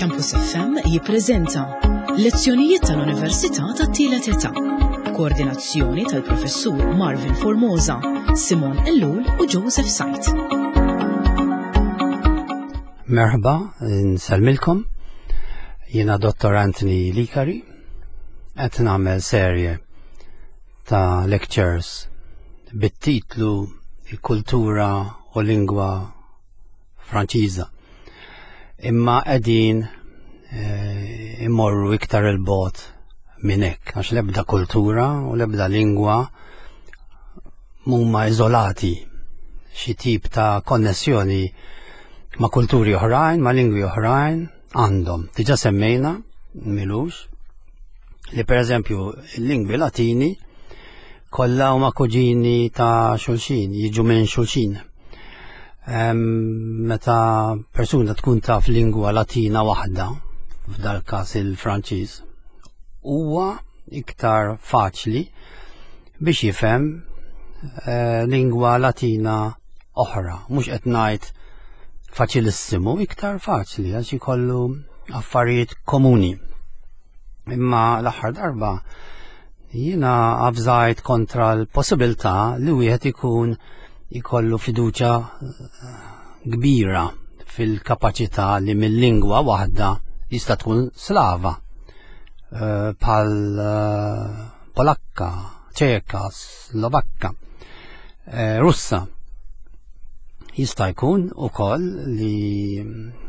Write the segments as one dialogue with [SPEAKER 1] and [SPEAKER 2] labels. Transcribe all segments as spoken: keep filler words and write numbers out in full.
[SPEAKER 1] Campus F M jippreżenta Lezzjonijiet tal-Università tat-Tielet Età. Koordinazzjoni tal-Professur Marvin Formosa, Simon Ellul u Joseph Sajt.
[SPEAKER 2] Merħba, nsellmilkom. Jiena Dottor Anthony Licari. Qed nagħmel serje ta' lectures bit-titlu "Il-Kultura u Lingwa Franċiża". Imma qegħdin eh, immorru iktar 'il bogħod minn hekk, għax l-ebda kultura u l-ebda lingwa mhuma iżolati, xi tip ta' konnessjoni ma' kulturi oħrajn, ma' lingwi oħrajn għandhom. Diġà semmejna m'ilux li, per eżempju, il-lingwi Latini kollha huma kuġini ta' xulxin, jiġu minn xulxin. Meta persuna tkun taf lingwa Latina waħda, f'dal każ il-Franċiż, huwa iktar faċli biex jifhem eh, lingwa Latina oħra. Mhux qed ngħid faċilissimu, iktar faċli għax ikollu affarijiet komuni. Imma l-aħħar darba jiena avżajt kontra l-possibilità li wieħed ikun ikollu fiduċa eh, kbira fil-kapaċità li mill-lingwa waħda, jista' tkun Slava, eh, bħal eh, Polakka, Ċeka, Slovakka, Russa. Jista' jkun ukoll li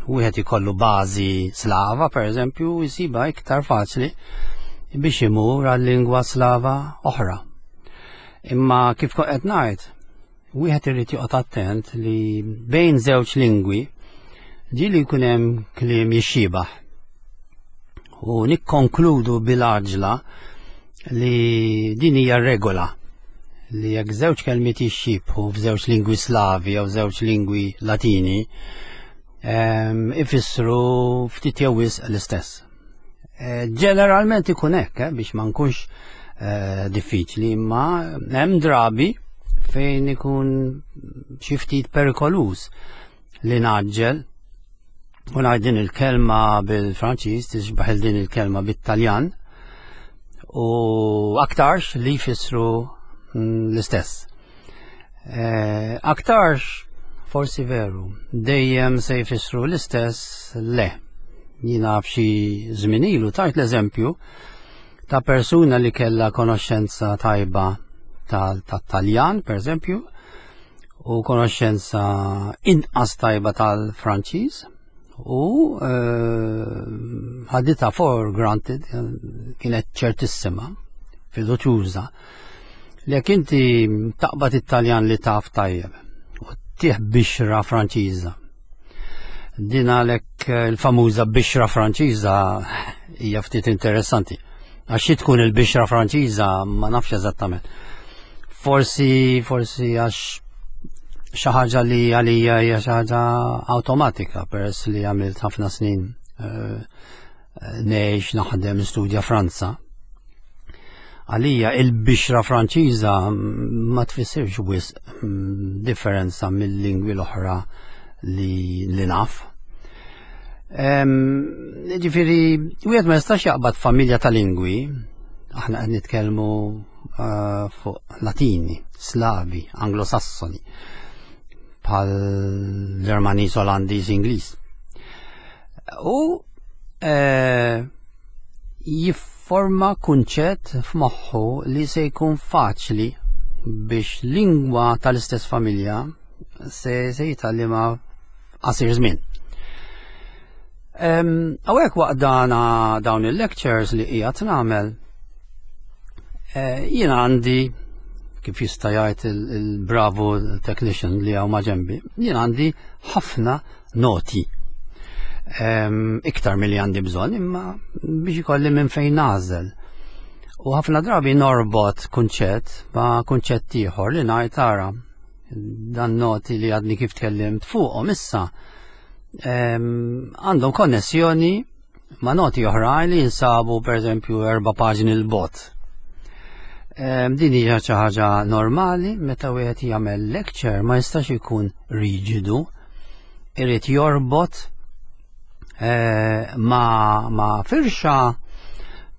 [SPEAKER 2] wieħed ikollu bażi Slava, per eżempju, jsiba iktar faċli biex imur għal lingwa Slava oħra. Imma kif qed ngħid, wieħed irid joqgħod attent li bejn żewġ lingwi ġieli jkun hemm kliem jixxiebaħ. U nikkonkludu bil-għaġla li din hija regola, li jekk żewġ kelmiet jixxibħu f'żewġ lingwi Slavi jew żewġ lingwi Latini, ifissru ftit jew wisq l-istess. Eh, ġeneralment ikun hekk, eh, biex ma nkunx eh, diffiċli, imma hemm drabi fejn ikun xi ftit perikoluż li naġġel u ngħid din il-kelma bil-Franċiż tixbaħ din il-kelma bit-Taljan u aktarx li jfissru mm, l-istess. Aktarx forsi veru, dejjem se jfissru l-istess, le. Jiena f'xi żmien ilu tajt l-eżempju ta' persuna li kella konoxxenza tajba tal-Taljan, per eżempju, u konoxxenza inqas tajba tal-Franċiż u eh, ħaditha for granted, kienet ċertissima, fiduċjuża, li jekk inti taqbad it-Taljan li taf tajjeb u ttih bixra Franċiża. Din għalek eh, il-famuża bixra Franċiża hija ftit interessanti. Għax xi tkun il-bixra Franċiża ma nafx eżattament. Forsi, forsi għax xi ħaġa li għalija hija xi ħaġa awtomatika peress li għamilt ħafna snin eh, ngħix, naħdem, studja Franza. Għalija il-bixra Franċiża ma tfissirx wisq mm, differenza mill-lingwi l-oħra li, li naf. Ġifieri, wieħed ma jistax jaqbad familja ta' lingwi, aħna qed nitkellmu uh, fuq Latini, Slavi, Anglosassoni, bħal Ġermaniż, Olandiż, Ingliż. U uh, jifforma kunċett f'moħħu li se jkun faċli biex lingwa tal-istess familja se se jitgħallimha qasir żmien. Hawnhekk waqt dana dawn il-lectures li qiegħed nagħmel, eh, jiena għandi, kif jista' jgħid il-bravo technician li hawn maġenbi, jien għandi ħafna noti. Iktar milli għandi bżonn, imma biex ikolli minn fejn nagħżel. U ħafna drabi norbot kunċett ma' kunċett ieħor li ngħid, tara dan noti li għadni kif tkellimt fuqhom issa għandhom konnessjoni ma' noti oħrajn li jinsabu, per eżempju, erba' paġni 'l bogħod. Din hija xi ħaġa normali meta wieħed jagħmel lecture, ma jistax ikun riġidu, irid jorbot eh, ma, ma firxa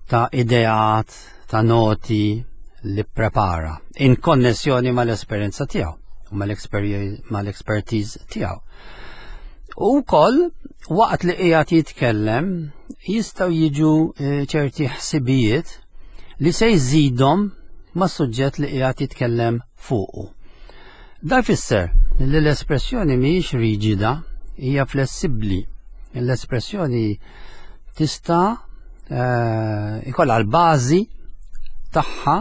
[SPEAKER 2] ta' ideat, ta' noti li prepara in konnessjoni mal-esperjenza tiegħu u mal-expertise tiegħu. U wkoll waqt li qiegħed jitkellem jistgħu jiġu eh, ċerti ħsibijiet li se jżidhom mas-suġġett li qiegħed jitkellem fuqu. Da jfisser li l-espressjoni mhijiex riġida, hija flessibbli. L-espressjoni tista' eh, ikollha l-bażi tagħha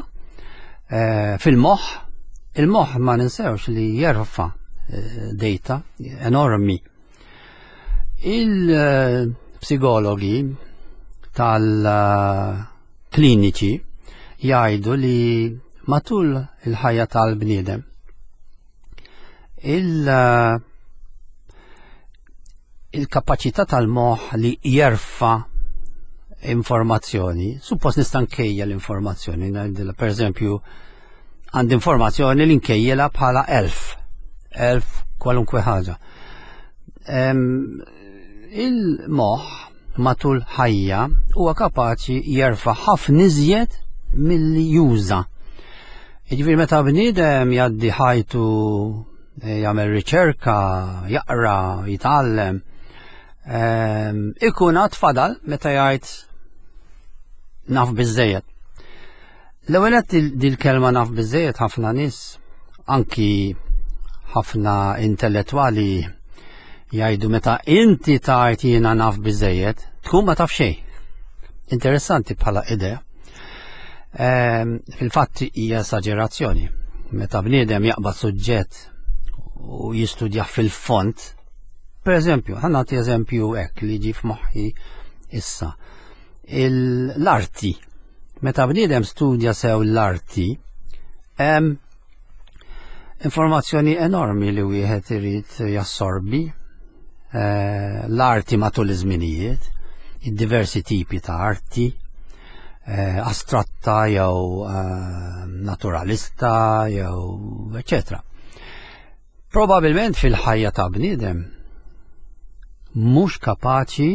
[SPEAKER 2] eh, fil-moħħ. Il-moħħ ma ninsewx li jerfa' data enormi. Il-psikologi tal-kliniċi jgħidu li matul il-ħajja tal-bniedem il- il-kapaċità tal-moħħ li jerfa' informazzjoni, suppost nista' nkejjel l-informazzjoni, ngħidilha per eżempju għandi informazzjoni li nkejjela bħala elf, elf kwalunkwe ħaġa. Il-moħħ matul ħajja huwa kapaċi jerfa' ħafna iżjed milli juża. Jiġifieri meta bniedem jgħaddi ħajtu jagħmel riċerka, jaqra, jitgħallem, ikun għad fadal meta jgħid naf biżejjed. L-ewwel qed dil-kelma naf biżejjed ħafna nies, anki ħafna intellettwali jgħidu meta inti tgħid jiena naf biżejjed, tkun ma taf xejn. Interessanti bħala idea. Fil-fatt hija esaġerazzjoni. Meta bniedem jaqbad suġġett u jistudja fil-fond, per eżempju, ħa nagħti eżempju hekk li ġie f'moħħi issa. L-arti. Meta bniedem studja sew l-arti, hemm informazzjoni enormi li wieħed irid jassorbi. L-arti matul iż-żminijiet, id-diversi tipi ta' arti, astratta jew naturalista jew eċetera. Probabilment fil-ħajja ta' bniedem mhux kapaċi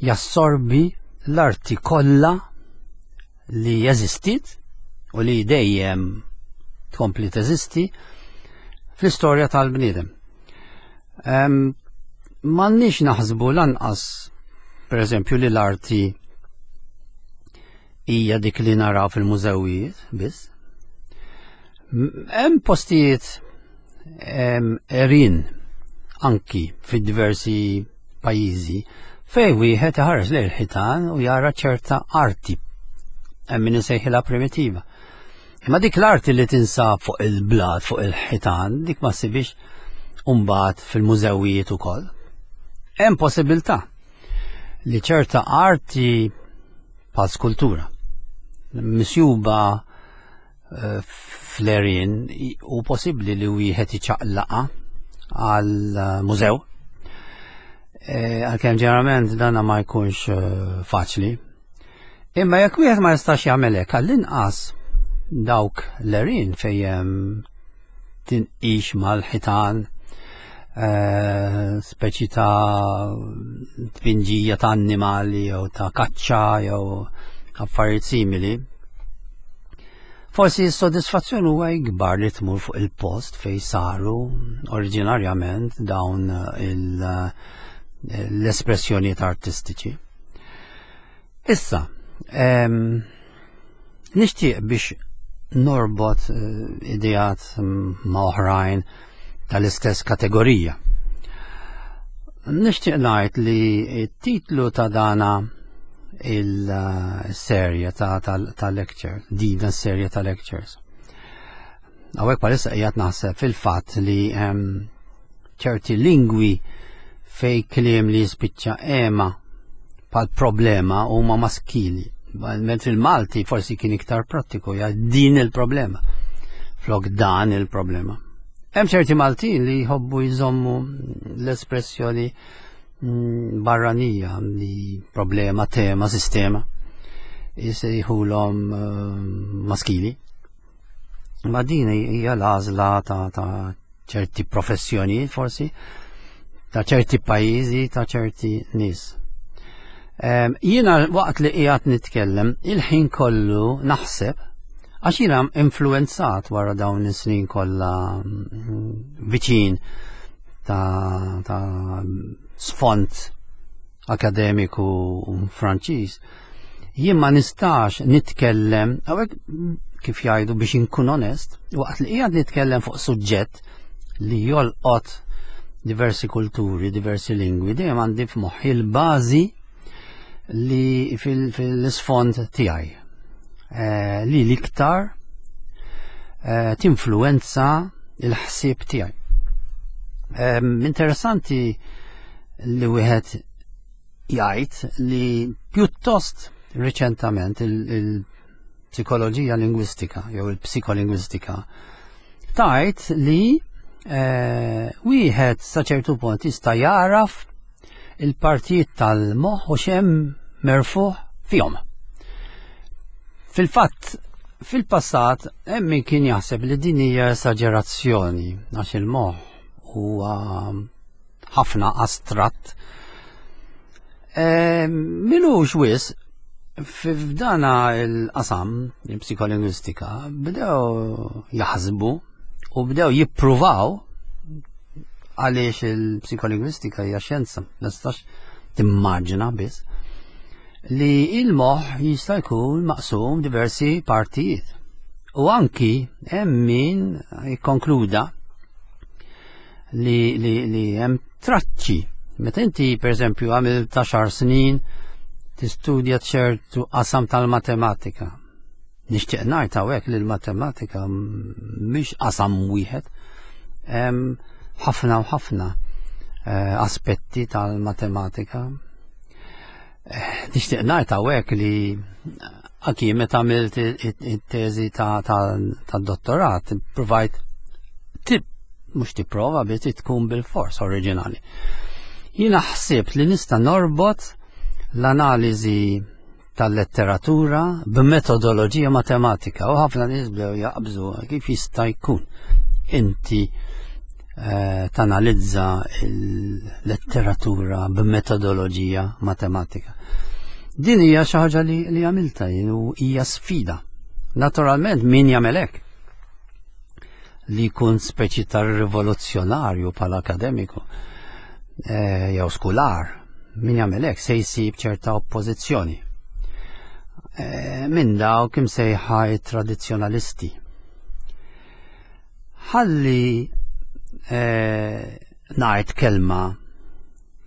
[SPEAKER 2] jassorbi l-arti kollha li jeżistit u li dejjem tkompli teżisti fl-istorja tal-bniedem. M'għandniex naħsbu lanqas, per eżempju, li l-arti hija dik li naraw fil-mużewijiet biss. Hemm postijiet erin anki fid-diversi pajjiżi fejn wieħed iħares lejn il-ħitan u jara ċerta arti, hemm min isejħilha primitiva. Imma dik l-arti li tinsab fuq il-blat, fuq il-ħitan, dik ma ssibix mbagħad fil-mużewijiet ukoll. Hemm possibilità li ċerta arti bħal skultura misjuba fl-erin u possibbli li wieħed iċaqlaqa għal mużew. Għalkemm ġeneralment dana ma jkunx faċli. Imma jekk wieħed ma jistax jagħmel hekk, għall-inqas dawk l-erin fejn tinqix mal-ħitan, speċi ta' tpinġija ta' annimali jew ta' kaċċa jew affarijiet simili. Forsi s-sodisfazzjon huwa ikbar li tmur fuq il-post fejn saru oriġinarjament dawn l-espressjonijiet artistiċi. Issa, nixtieq biex norbot ideat ma' oħrajn tal-istess kategorija. Nixtieq ngħid li t-titlu ta' dana il-serje ta', ta, ta' lecture, dina s-serje ta' lectures. Hawnhekk bħalissa qiegħed naħseb fil-fatt li ċerti lingwi fej kliem li jispiċċa ema bħal problema huma maskili. Mentri il-Malti forsi kien iktar prattiku, ja din il-problema, flok dan il-problema. Hemm ċerti Maltin li jħobbu jżommu l-espressjoni barranija li problema, tema, sistema, jisejħulhom maskili. Ma din hija l-għażla ta', ta' ċerti professjonijiet forsi, ta' ċerti pajjiżi, ta' ċerti nies. Jiena waqt li qiegħed nitkellem, il-ħin kollu naħseb, għax jiena influenzat wara dawn is-snin kollha viċin ta', ta sfond akademiku Franċiż. Jien ma nistax nitkellem, hawnhekk kif jgħidu biex inkun onest, waqt li qiegħed nitkellem fuq suġġett li jolqot diversi kulturi, diversi lingwi, dejjem għandi f'moħħi l-bażi li fil-isfond tiegħi eh, li l-iktar eh, tinfluenza il-ħsieb tiegħi. Interessanti li wieħed jgħid li pjuttost riċentament il-psikoloġija lingwistika jew il-psikolingwistika tgħid li eh, wieħed sa ċertu punt jista' jaraf il-partijiet tal-moħħ u x'hemm merfuħ fihom. Fil-fatt, fil-passat hemm min kien jaħseb li din hija esaġerazzjoni għax il-moħħ huwa ħafna astratt. E, M'ilux wisq f'dana il-qasam, il-psikolingwistika, bdew jaħsbu u bdew jippruvaw, għaliex il-psikolingwistika hija xjenza, ma tistax timmaġina biss, li il-moħħ jista' jkun maqsum diversi partijiet. U anki hemm min jikkonkluda li, li, li hemm traċċi. Meta inti, per eżempju, għamil għaxar snin tistudja ċertu qasam tal-matematika. Nixtieq ngħid hawnhekk li l-matematika mhix qasam wieħed. Hemm ħafna u ħafna eh, aspetti tal-matematika. Eh, nixtieq ngħid hawnhekk li anki meta għamilt it-teżi ta' dottorat, provajt tip, mhux tipprova, biex tkun bil-fors oriġinali. Jiena ħsibt li nista' norbot l-analiżi tal-letteratura b'metodoloġija matematika u ħafna nies bdew jaqbżu kif jista' jkun inti eh, tanalizza il-letteratura b'metodoloġija matematika. Din hija xi ħaġa li, li għamilta jien u hija sfida. Naturalment, min jagħmel hekk li jkun speċi ta' rivoluzzjonarju bħala akademiku eh, jew skular, min jagħmel hekk se jsib ċerta oppożizzjoni Eh, minn dawk imsejħa tradizzjonalisti. Ħalli eh, ngħid kelma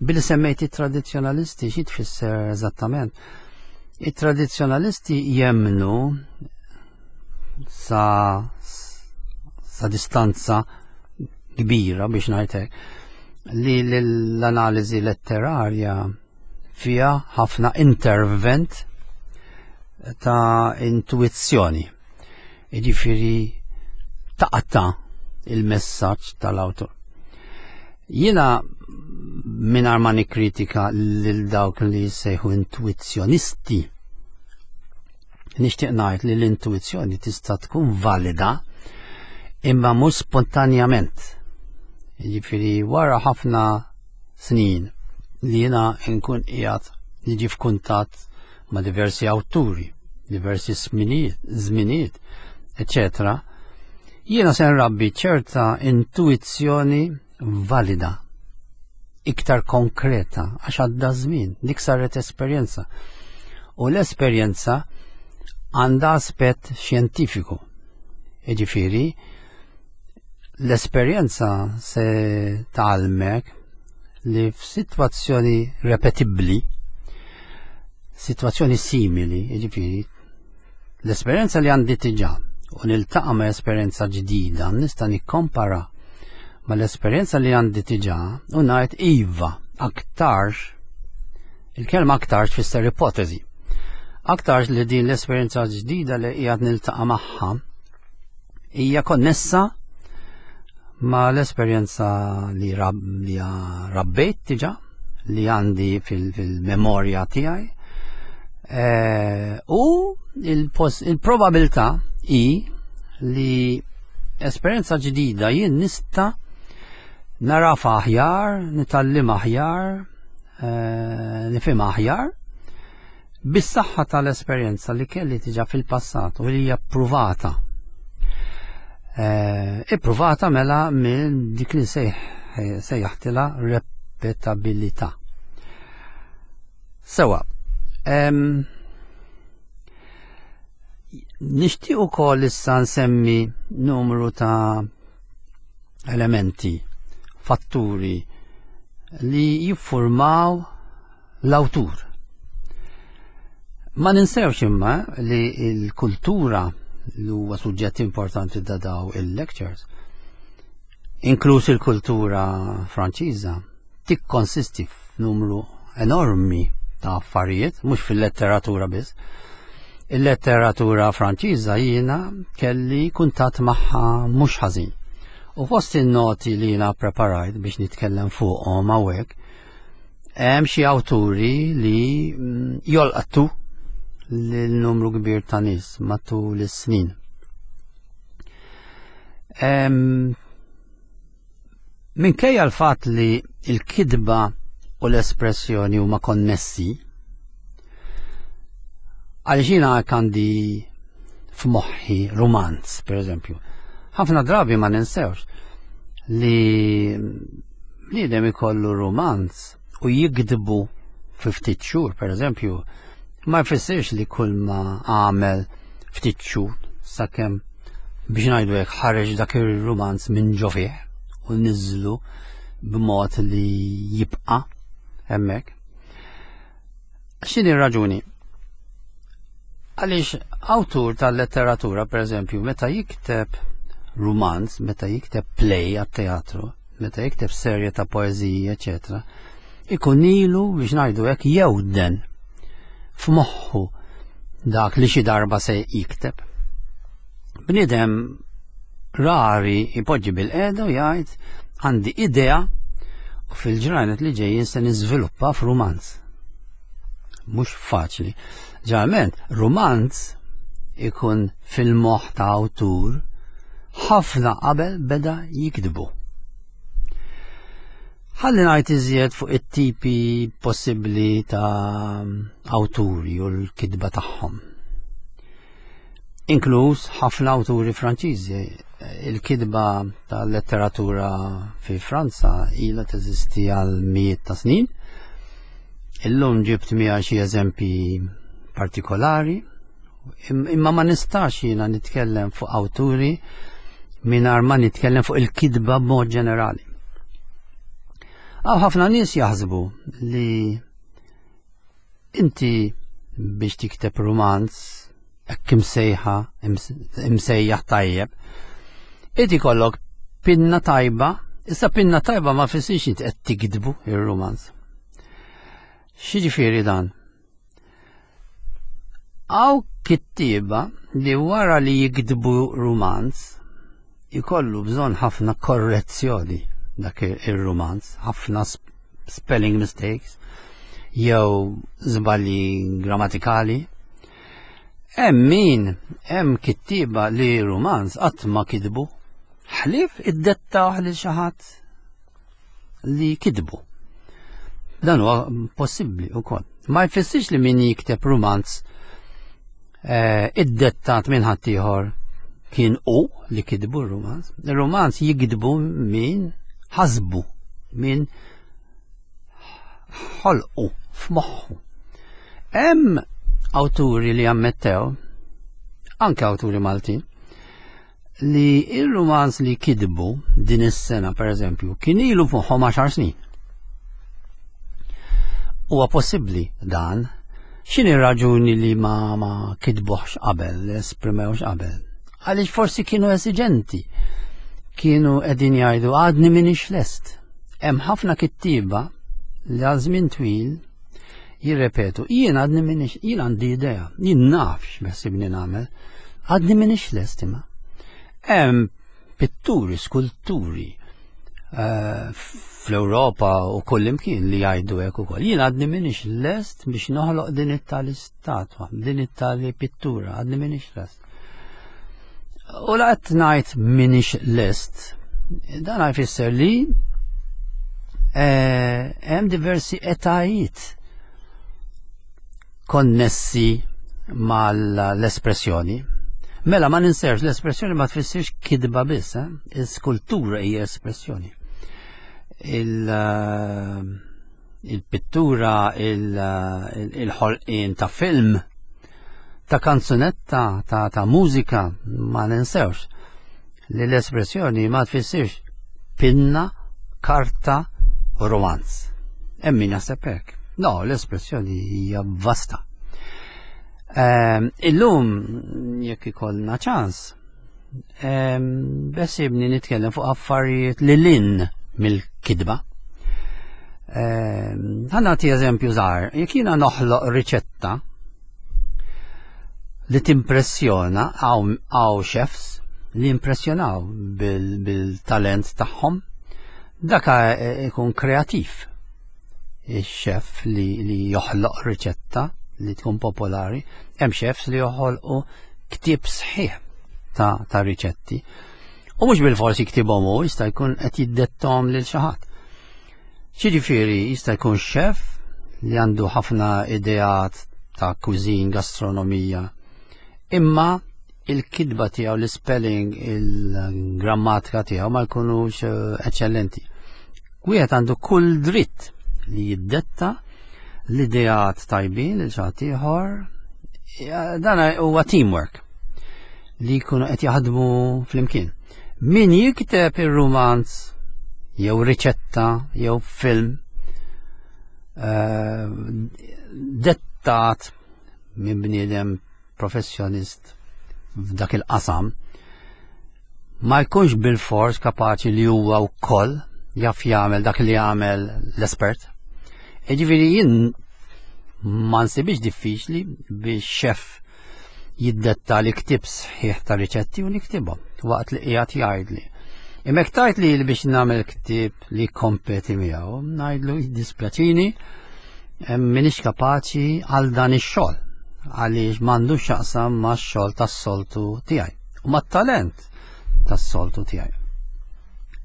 [SPEAKER 2] billi semmejt it-tradizzjonalisti, xi tfisser eżattament? It-tradizzjonalisti jemnu sa sa distanza kbira, biex ngħidlek, li l-analiżi letterarja fija ħafna intervent ta' intuizzjoni. Jiġifieri taqta' il-messaġġ tal-awtur. Jiena, mingħajr ma nikkritika lil dawk li jsejħu intuizzjonisti, nixtieq ngħid li l-intuizzjoni tista' tkun valida imma mhux spontanjament. Jiġifieri wara ħafna snin li jiena nkun qiegħed niġi f'kuntatt ma' diversi awturi, diversi żminijiet, eccetera, jiena se nrabbi ċerta intuizzjoni valida, iktar konkreta, għax għadda żmien, dik saret esperjenza. U l-esperjenza għandha aspett xjentifiku. Jiġifieri, l-esperjenza se tgħallmek li f'sitwazzjoni repetibbli, situazzjoni simili, jiġifieri, l-esperjenza li għandi diġà u niltaqa' ma' esperjenza ġdida, nista' nikkompara ma' l-esperjenza li għandi diġà u ngħid iva, aktarx, il-kelma aktarx tfisser ipotezi. Aktarx li din l-esperjenza ġdida li qiegħed niltaqa' magħha hija konnessa ma' l-esperjenza li, rab, li rabbejt diġà, li għandi fil-memorja tiegħi. E, u il-probabilità i li esperjenza ġdida jien nista' narafa aħjar, nitgħallem aħjar, e, nifhem aħjar. Bis-saħħa tal-esperjenza li kelli diġà fil-passat u li hija ppruvata. Eh, ippruvata mela minn dik li sejjaħtilha repetabilità. Sewa, nixtieq ukoll issa nsemmi numru ta' elementi, fatturi li jiffurmaw l-awtur. Ma ninsewx imma li l-kultura, li huwa suġġett importanti da daw il-lectures, inkluż il-kultura Franċiża, tikkonsisti f'numru enormi ta' affarijiet, mhux fil-letteratura biss. Il-letteratura Franċiża jiena kelli kuntatt magħha mhux ħażin. U fost il-noti li jiena preparajt biex nitkellem fuqhom hawnhekk, hemm xi awturi li mm, jolqtu lil numru kbir ta' nies matul is-snin. Minkejja l-fatt li l-kitba u l-espressjoni huma konnessi, għaliex jiena għandi f'moħħi rumanz, per eżempju. Ħafna drabi ma ninsewx li bniedem ikollu rumanz u jikdbu fi ftit xhur, per eżempju, ma jfissirx li kull ma għamel ftit xhur sakemm, biex ngħidu hekk, ħareġ dak ir-rumanz minn ġo fih u niżlu b'mod li jibqa' hemmhekk. X'inhi r-raġuni? Għaliex awtur tal-letteratura, per eżempju, meta jikteb rumanz, meta jikteb play għat-teatru, meta jikteb serje ta' poeżiji, eċetera, ikun ilu, biex ngħidu hekk, jewden f'moħħu dak li xi darba se jikteb. Bniedem rari jpoġġi bil-qiegħda u jgħid għandi idea u fil-ġranet li ġejjin se niżviluppa f'rumanz. Mhux faċli. Ġeneralment, rumanz ikun fil-moħħ ta' awtur ħafna qabel beda jiktbu. Ħalli ngħid iżjed fuq it-tipi possibbli ta' awturi u l-kitba tagħhom. Inkluż ħafna awturi Franċiżi. Il-kitba ta' letteratura fi Franza ilha teżisti għal mijiet ta' snin. Illum ġibt miegħi xi eżempji partikolari, imma ma nistax jiena nitkellem fuq awturi mingħajr ma nitkellem fuq il-kitba b'mod ġenerali. Għaw ħafna nies jaħsbu li inti biex tikteb rumanz hekk imsejħa imsejjaħ tajjeb, inti kollok pinna tajba, issa pinna tajba ma fissirx inti qed tiktbu ir-rumanz. X'jiġifieri dan? Għaw kittieba li wara li jiktbu rumanz ikollu bżonn ħafna korrezzjoni dak ir-rumanz, ħafna spelling mistakes jew żbalji grammatikali. Hemm min, hemm kittieba li rumanz qatt ma kitbu, ħlief iddettawh lil xi ħadd li kitbu. Dan huwa possibbli wkoll. Ma jfissirx li min jikteb rumanz eh, iddettat minn ħaddieħor kien hu li kitbu r-rumanz. Ir-rumanz jikdbu min ħasbu, min ħolqu f'moħħu. Hemm awturi li ammettew, anke awturi Maltin, li il-rumanz li kitbu din is-sena, per eżempju, kien ilu f'moħħhom għaxar snin. Huwa possibbli dan. X'inhi raġuni li ma ma kitbuħx qabel, esprimewx qabel? Għaliex forsi kienu esiġenti. Kienu qegħdin jgħidu għadni minix lest. Hemm ħafna kittieba li għal żmien twil jirrepetu, jien għadni minix, jien għandi idea, jien naf x'beħsibni nagħmel, għadni minix lest imma. Hemm pitturi, skulturi eh, fl-Ewropa u kullimkien li jgħidu hekk ukoll. Jien għadni minix lest biex noħloq din it-tali statwa, din it-tali pittura, għadni minix lest. U la qed ngħid minix lest, dan jfisser li eh, hemm diversi etajiet. Konnessi mal-espressjoni. Mela ma ninsewx, l-espressjoni ma tfissirx kitba biss, eh? Il-skultura hija espressjoni. Eh, il-pittura, il-ħolqien ta' film, ta' kanzunetta, ta', ta' mużika, ma ninsewx li l-espressjoni ma tfissirx pinna, karta u romanz. Hemm min jaħseb hekk. No, l-espressjoni hija vasta. Um, illum, jekk ikollna ċans, um, beħsiebni nitkellem fuq affarijiet li lil hinn mill-kitba. Um, ħa nagħti eżempju żgħir, jekk jiena noħloq riċetta li timpressjona, hawn chefs li impressjonaw bil-talent bil tagħhom, daka ikun kreativ. Il-chef li, li joħloq riċetta li tkun popolari, hemm chefs li joħolqu ktieb sħiħ ta', ta' riċetti. U mhux bil-forsi jiktibhom hu, jista' jkun qed jiddettom lil xi ħadd. Ġifieri jista' jkun chef li għandu ħafna ideat ta' cuisine, gastronomija, imma il-kitba tiegħu, l-spelling, il-grammatika tiegħu ma jkunux eh, eċċellenti. Wieħed għandu kull dritt li jiddetta l-ideat tajbin lil xi ieħor. Dan huwa teamwork li jkunu qed jaħdmu flimkien. Min jikteb ir-romanz jew riċetta jew film uh, dettat minn bniedem professjonist f'dak il-qasam ma jkunx bil-fors kapaċi li huwa wkoll jaf jagħmel dak li jagħmel l-espert. Jiġifieri jien ma nsibix diffiċli biex chef jiddetta li ktib sħiħ ta' riċetti u niktibhom waqt li qiegħed jgħidli. Imma jekk li biex nagħmel ktieb li kompeti miegħu, ngħidlu jiddispjaċini, m'iniex kapaċi għal dan ix-xogħol għaliex m'għandux x'jaqsam max-xogħol tas-soltu tiegħi u mat-talent tas-soltu tiegħi.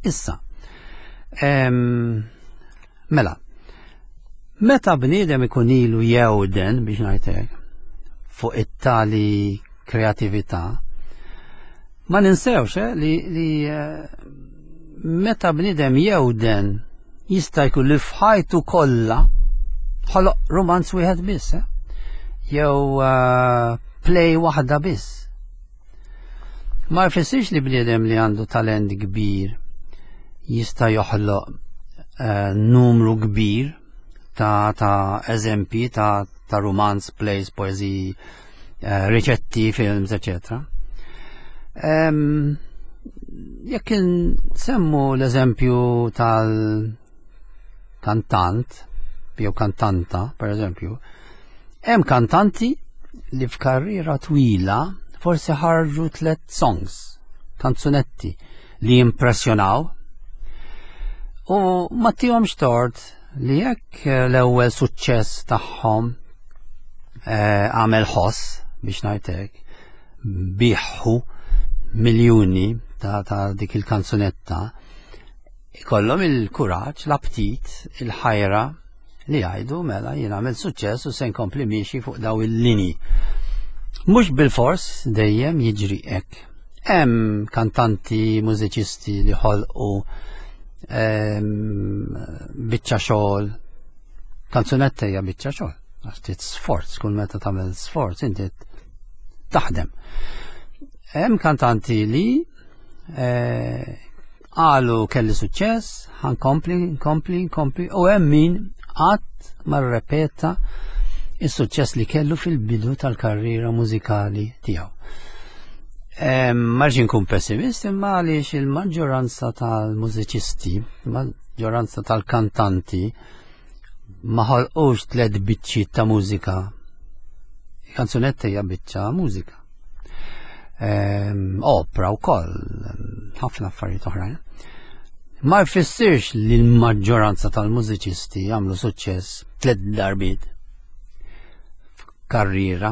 [SPEAKER 2] Issa, em, mela, meta bniedem ikun ilu jewden, biex ngħidlek, fuq it-tali kreatività, ma ninsewx eh, li, li eh, meta bniedem jewden jista' jkun li f'ħajtu kollha ħoloq romanz wieħed biss, eh? Jew uh, play waħda biss. Ma jfissirx li bniedem li għandu talent kbir jista' joħloq uh, numru kbir ta', ta' eżempji ta', ta' romanz, plays, poeziji, uh, riċetti, films, eccetera. Um, jekk nsemmu l-eżempju tal-kantant, jew kantanta, per eżempju, hemm kantanti li f'karriera twila forsi ħarġu tlet songs, kanzunetti li impressjonaw u ma tihomx tort li jekk l-ewwel suċċess tagħhom eh, għamel ħoss, biex ngħidlek, biegħu miljuni ta', ta' dik il-kanzunetta, ikollhom il-kuraġġ, l-aptit, il-ħajra li jgħidu: "Mela jien għamel suċċess u se nkompli miexi fuq daw il-linji." Mhux bil-fors dejjem jiġri hekk. Hemm kantanti, mużiċisti li ħolqu ehm, biċċa xogħol, kanzunetta hija biċċa xogħol, għax trid sforz, kull meta tagħmel sforz inti taħdem. Hemm kantanti li eh, qalu: "Kelli suċċess, ħa nkompli, nkompli, nkompli", u hemm min qatt ma rrepeta is-suċċess li kellu fil-bidu tal-karriera mużikali tiegħu. Ma rridx nkun pessimist, imma għaliex il-maġġoranza tal-mużiċisti, il-maġġoranza tal-kantanti ma ħolqux tliet biċċiet ta' mużika. Kanzunetta hija biċċa mużika. Opera wkoll, ħafna affarijiet oħrajn. Ma jfissirx li l-maġġoranza tal-mużiċisti jagħmlu suċċess tliet darbiet karriera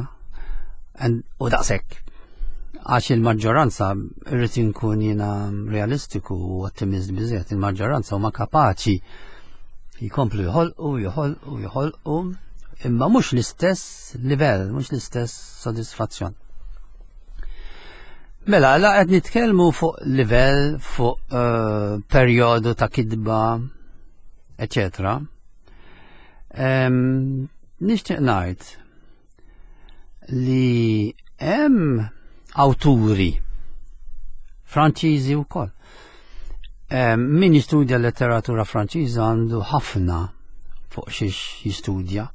[SPEAKER 2] u daqshekk. Għax il-maġġoranza, irrid inkun jiena realistiku u ottimist biżejjed, il-maġġoranza huma kapaċi jkomplu jħolqu, jħolqu, jħolqu, Imma mhux l-istess livell, mhux l-istess sodisfazzjon. Mela, la qed nitkellmu fuq livell, fuq uh, perjodu ta' kitba, eċetera. Um, nixtieq ngħid li hemm awturi Franċiżi wkoll. Um, min jistudja letteratura Franċiża għandu ħafna fuq xiex jistudja.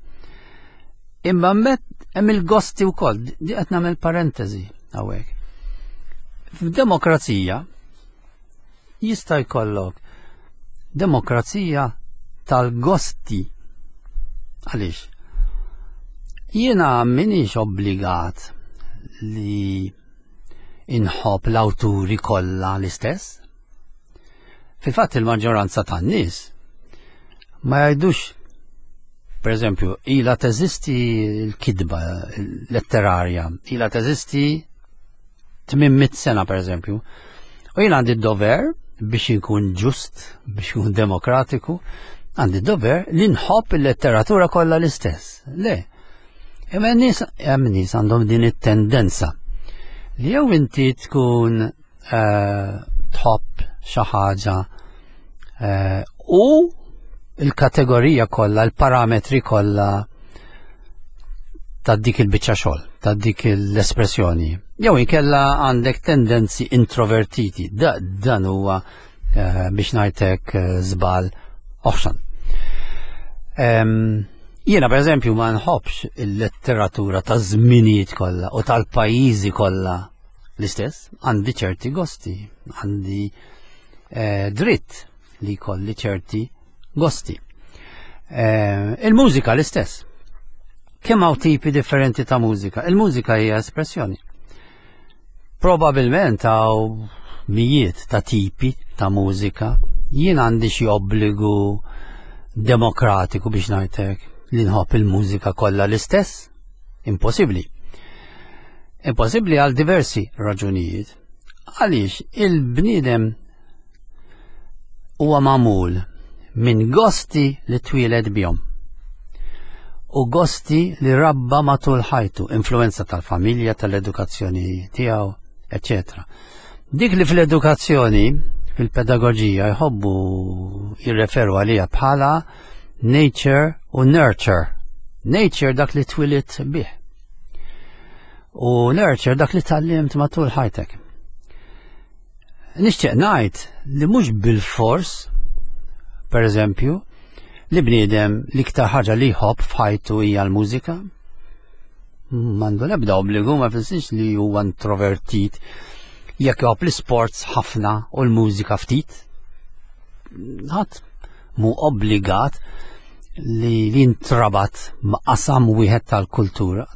[SPEAKER 2] Imma met hemm il-gosti wkoll, di qed nagħmel parentesi hawnhekk. F'demokrazija jista' jkollok demokrazija tal-gosti. Għaliex? Jiena m'iniex obbligat li inħobb l-awturi kollha l-istess. Fil-fatt il-maġġoranza tan-nies ma jgħidux, per eżempju, ila teżisti l-kitba letterarja, ila teżisti tmien mitt sena, per eżempju. U jien għandi d-dover biex inkun ġust, biex inkun demokratiku, għandi d-dover li nħobb il-letteratura kollha l-istess. Le. Imma nies hemm nies għandhom din it-tendenza li jew inti tkun eh, tħobb xi ħaġa eh, u il-kategorija kollha, il-parametri kollha ta' dik il-biċċa xogħol, ta' dik l-espressjoni. Jew inkella għandek tendenzi introvertiti. Da, dan huwa eh, biex ngħidlek żball oħxon. Jiena per eżempju ma nħobbx il-letteratura ta' żminijiet kollha u tal-pajjiżi kollha l-istess, għandi ċerti gosti, għandi eh, dritt li kolli ċerti gosti. Eh, il-mużika l-istess. Kemm hawn tipi differenti ta' mużika? Il-mużika hija espressjoni. Probabilment hawn mijiet ta' tipi ta' mużika. Jien għandi xi obbligu demokratiku biex ngħidlek li nħobb il-mużika kollha l-istess? Impossibbli. Impossibbli għal diversi raġunijiet. Għaliex il-bniedem huwa magħmul minn gosti li twieled bihom u gosti li rabba matul ħajtu, influenza tal-familja, tal-edukazzjoni tiegħu, eċċetera. Dik li fl-edukazzjoni, fil-pedagogija jħobbu jirreferu għalija bħala nature u nurture. Nature dak li twilidt bih. U nurture dak li tgħallimt matul ħajtek. Nixtieq ngħid li mhux bil-fors, per eżempju, li bniedem l-iktar ħaġa li jħobb f'ħajtu hija l-mużika. M'għandu l-ebda obbligu, ma jfissirx li huwa introvertit jekk jħobb l-sports ħafna u l-mużika ftit. Ħadd mu obbligat li jintrabat ma' qasam wieħed tal-kultura.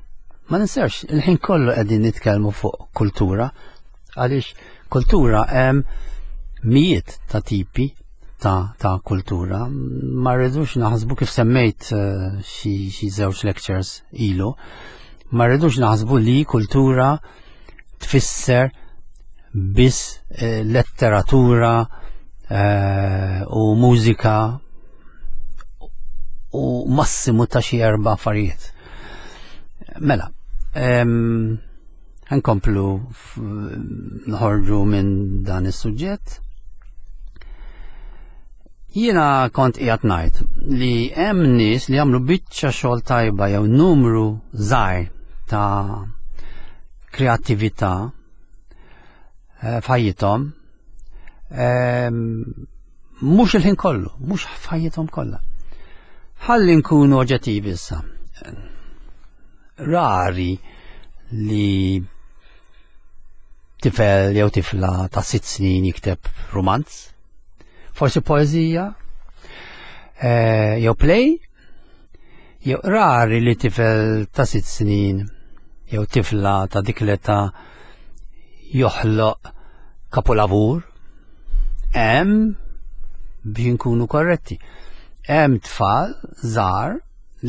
[SPEAKER 2] Ma ninsewx, il-ħin kollu qegħdin nitkellmu fuq kultura, għaliex kultura hemm mijiet ta' tipi ta', ta' kultura. Ma rridux naħsbu, kif semmejt eh, xi xi żewġ lectures ilu, ma rridux naħsbu li kultura tfisser biss eh, letteratura eh, u mużika u massimu ta' xi erba' affarijiet. Mela, em, nkomplu nħorġu minn dan is-suġġett. Jiena kont qiegħed ngħid li hemm nies li jagħmlu biċċa xogħol tajba jew numru żgħir ta' kreattività eh, f'ħajjithom, ehm, mhux il-ħin kollu, mhux f'ħajjithom kollha. Ħalli nkunu oġġettivi issa. Rari li tifel jew tifla ta' sitt snin jikteb romanz, forsi poezija, eh, jew play, jew rari li tifel ta' sitt snin jew tifla ta' dik l-età joħloq kapolavur. Hemm, biex nkunu korretti, hemm tfal żgħar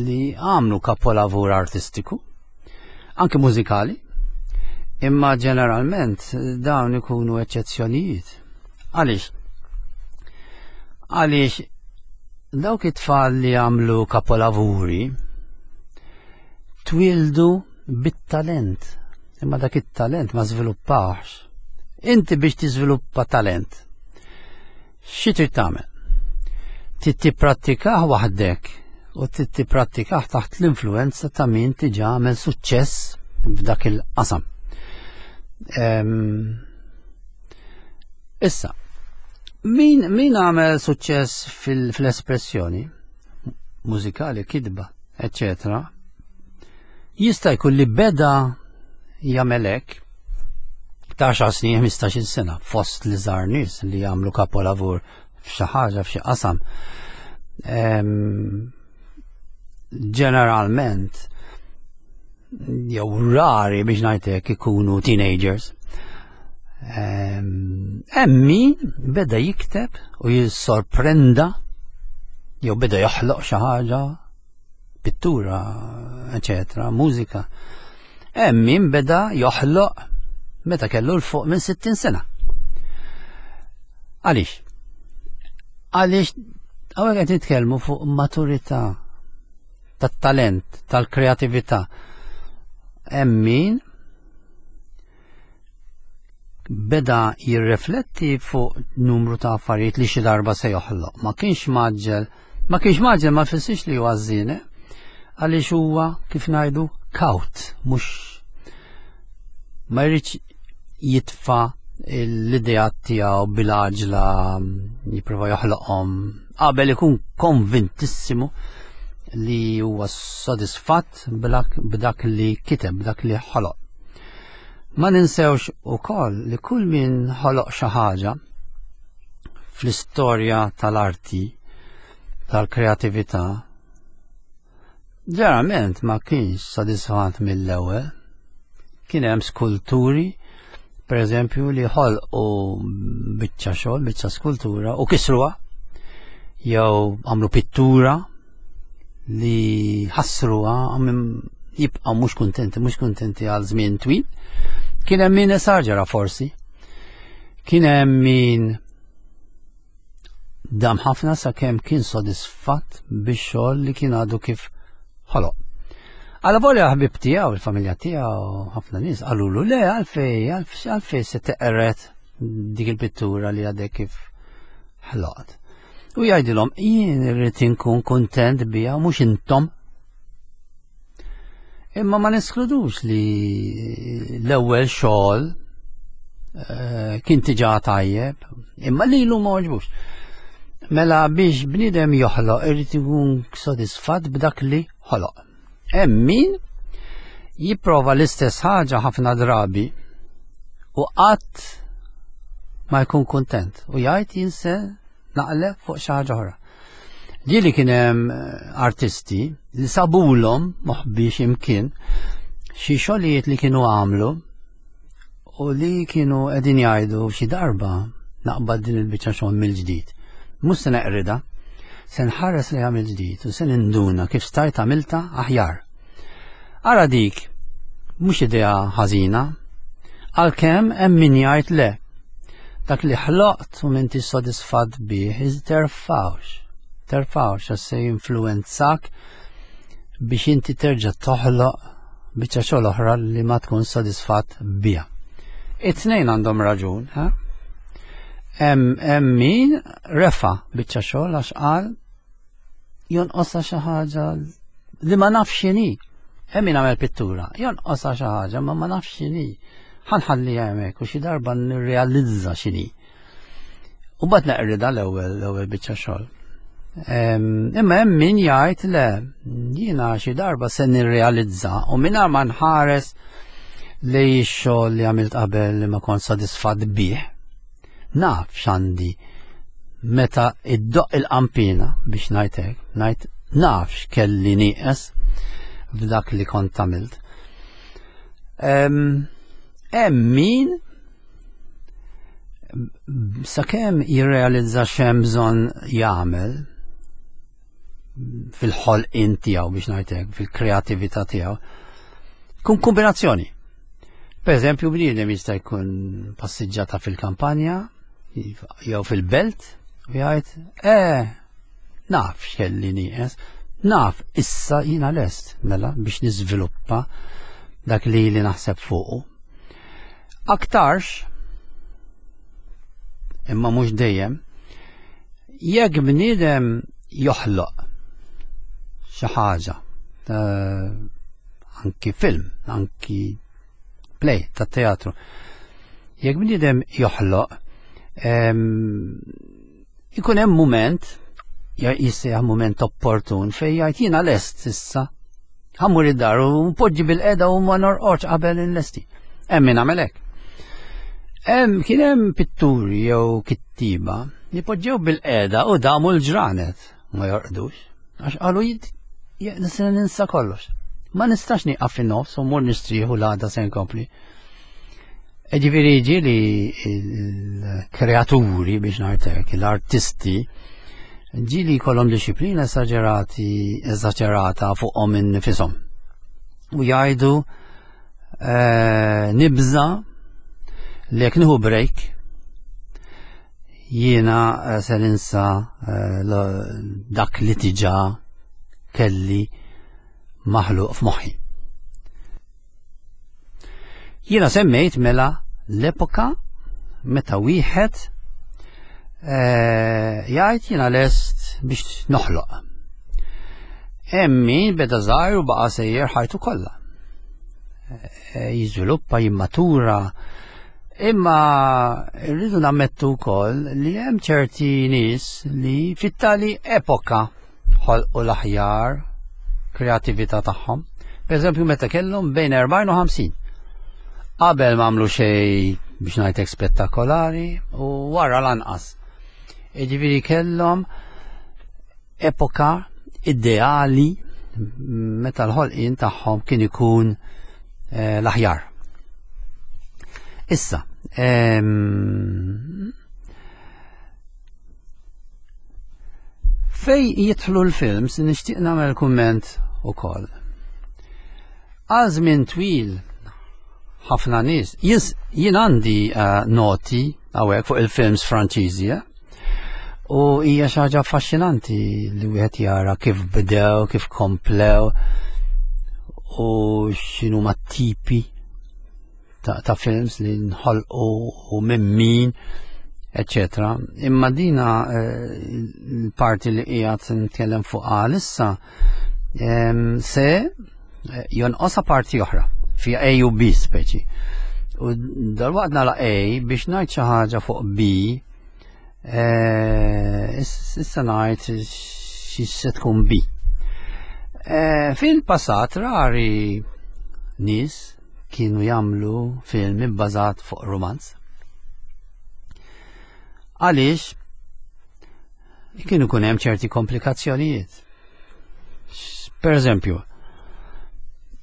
[SPEAKER 2] li għamlu kapolavur artistiku, anke mużikali, imma ġeneralment dawn ikunu eċċezzjonijiet. Għaliex? Għaliex dawk it-tfal li għamlu kapolavuri Twildu bit-talent, imma dak it-talent ma żviluppawx. Inti biex tiżviluppa talent, xi trid tagħmel? Trid tipprattikah waħdek u trid tipprattikah taħt l-influenza ta' min diġà għamel suċċess f'dak il-qasam. Ehm, issa, min, min għamel suċċess fil-espressjoni mużikali, kitba, eccetera, jista' jkun li beda jagħmel hekk ta' għaxar snin, ħmistax-il sena, fost li żar nies li jagħmlu kapolavur f'xi ħaġa, f'xi qasam. Ehm, ġeneralment jew rari biex ngħidlek ikunu teenagers. Ehm, hemm min beda jikteb u jissorprenda jew beda joħloq xi ħaġa, pittura, eċetera, mużika. Hemm min beda joħloq meta kellu 'l fuq minn sittin sena. Għaliex? Għaliex hawnhekk qed nitkellmu fuq maturità tat-talent, tal-kreatività. Hemm min beda jirrifletti fuq numru ta' affarijiet li xi darba se joħloq. Ma kienx mgħaġġel, ma kienx mgħaġġel ma jfissirx li huwa ħażin, għaliex huwa, kif ngħidu, kawt, mhux ma jridx jitfa' l-ideat tiegħu bil-għaġla, jipprova joħloqhom qabel ikun konvintissimu li huwa sodisfatt b'dak li kiteb, b'dak li ħoloq. Ma ninsewx ukoll li kull min ħoloq xi ħaġa fl-istorja tal-arti, tal-kreatività, ġeneralment ma kienx sodisfatt mill-ewwel. Kien hemm skulturi, per eżempju, li ħolqu biċċa xogħol, biċċa skultura u kisruha, jew għamlu pittura li ħassruha, jibqgħu mhux kuntenti, mhux kuntenti għal żmien twil. Kien hemm min esaġera forsi. Kien hemm min dam ħafna sakemm kien sodisfatt bix-xogħol li kien għadu kif ħoloq. Għala volja ħbib tiegħu, il-familja tiegħu, ħafna nies qalulu le, għalfej, għalfej se teqret dik il-pittura li għadek kif ħloqt. U jgħidilhom, jien irrid inkun kuntent biha, mhux intom. Imma ma neskludux li l-ewwel xogħol eh, kien diġà tajjeb, imma lilu ma għoġbux. Mela biex bniedem joħloq irid ikun sodisfatt b'dak li ħoloq. Hemm min jipprova l-istess ħaġa ħafna drabi u qatt ma jkun kuntent u jgħid jien se naqleb fuq xi ħaġa oħra. Ġieli kien hemm eh, artisti li sabulhom moħbiex imkien xi xogħlijiet li kienu għamlu u li kienu qegħdin jgħidu xi darba naqbad din il-biċċa xogħol mill-ġdid. Mhux se neqrida, se nħares li għamil ġdid u se ninduna kif stajt għamilta aħjar. Ara dik, mhux idea ħażina, għalkemm hemm min jgħid le. Dak li ħloqt u m'intix sodisfatt bih, terfawx. Terfawx għax se jinfluwenzak biex inti terġa' toħloq biċċa xogħol oħra li ma tkun sodisfatt biha. It-tnejn għandhom raġun, ha? Hemm min refa biċċa xogħol għax qal jonqosha xi ħaġa li ma nafx x'inhi. Hemm min għamel pittura, jonqosha xi ħaġa ma ma nafx x'inhi. Ħanħalli hemmhekk u xi darba nirrealizza x'inhi. U bad neqrida l-ewwel l-ewwel biċċa xogħol. Imma hemm min jgħid le, jiena xi darba se nirrealizza u mingħajr ma nħares li x-xogħol li għamilt qabel li ma kont sodisfatt bih. Naf x'għandi meta iddoq il-qampina biex ngħid hekk, ngħid naf x'kelli nieqes f'dak li kont għamilt. Hemm min sakemm jirrealizza x'hemm bżonn jagħmel fil-ħolqien tiegħu biex ngħid hekk, fil-kreatività tiegħu, kun kombinazzjoni. Per eżempju, bniedem jista' jkun passiġġata fil-kampanja jew fil-belt u jgħid, eh, naf x'kelli nieqes, naf issa jiena lest. mela biex niżviluppa dak li li naħseb fuqu. Aktarx, imma mhux dejjem, jekk bniedem joħloq xi ħaġa, anki film, anki play ta' teatru, jekk bniedem joħloq, ikun hemm mument, jissejjaħ mument opportun fejn jgħid jiena lest issa. Ħa mmur id-dar u npoġġi bil-qeda u ma norqodx qabel inlesti. Hemm min għamel hekk. Hemm kien hemm pitturi jew kittiba li poġġew bil-qeda u damu l-ġranet ma jorqdux. Għax qalu nista' ninsa kollox. Ma nistax nieqaf fin-nofs u mmur nistrieħu l-għada se nkompli. Ġifieri ġieli l-kreaturi biex ngħidlek, l-artisti, ġieli jkollhom disciplina esagerati, esagerata fuqhom innifisom. U jgħidu eh, nibża li jekk nieħu break jiena eh, se ninsa eh, dak li diġà kelli maħluq f'moħħi. Jiena semmejt mela l-epoka meta wieħed eh, jgħid jiena lest biex noħloq. Hemm min beda żgħir u baqa' sejjer ħajtu kollha. Eh, jiżviluppa, jimmatura, imma rridu nammettu wkoll li hemm ċerti nies li fit-tali epoka ħolqu l-aħjar kreatività tagħhom. Per eżempju, meta kellhom bejn erbgħin u ħamsin. Qabel ma għamlu xejn biex ngħidlek spettakolari u wara lanqas. Jiġifieri kellhom epoka ideali meta l-ħolqien tagħhom kien ikun eh, l-aħjar. Issa, ehm, fej jidħlu l-films nixtieq nagħmel kumment ukoll. Għal żmien twil ħafna nies, jien għandi uh, noti hawnhekk fuq il-films Franċiżi, eh? U hija xi ħaġa affaxxinanti li wieħed jara kif bdew, kif komplew u x'inhuma tipi ta', ta films li nħolqu u minn min, eccetera. Imma dina eh, l-parti li qiegħed nitkellem fuq issa se eh, jonqosha parti oħra fi A u B speċi. U dalwaqt nagħlaq A biex ngħid xi ħaġa fuq B, eh, issa ngħid xi se tkun B. Fil-passat rari nies kienu jagħmlu film ibbażat fuq romanz. Għaliex kienu kun hemm ċerti komplikazzjonijiet. Per eżempju,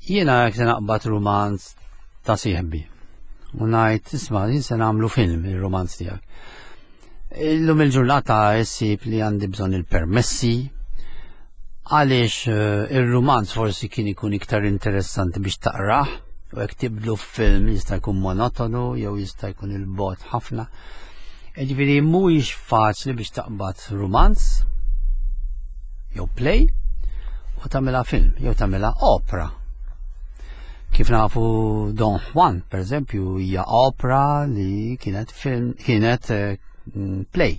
[SPEAKER 2] jiena jekk se naqbad romanz ta' sieħbi u ngħid isma' jien se nagħmlu film ir-romanz tiegħek. Illum il-ġurnata issib li għandi bżonn il-permessi, għaliex eh, ir-romanz forsi kien ikun iktar interessanti biex taqrah, u jekk tibdlu film jista' jkun monotonu jew jista' jkun il-bot ħafna. Ġifieri mhuwiex faċli biex taqbad romanz jew play u tagħmilha film jew tagħmilha opera. Kif nafu Don Juan, per eżempju, hija opera li kienet film, kienet eh, play.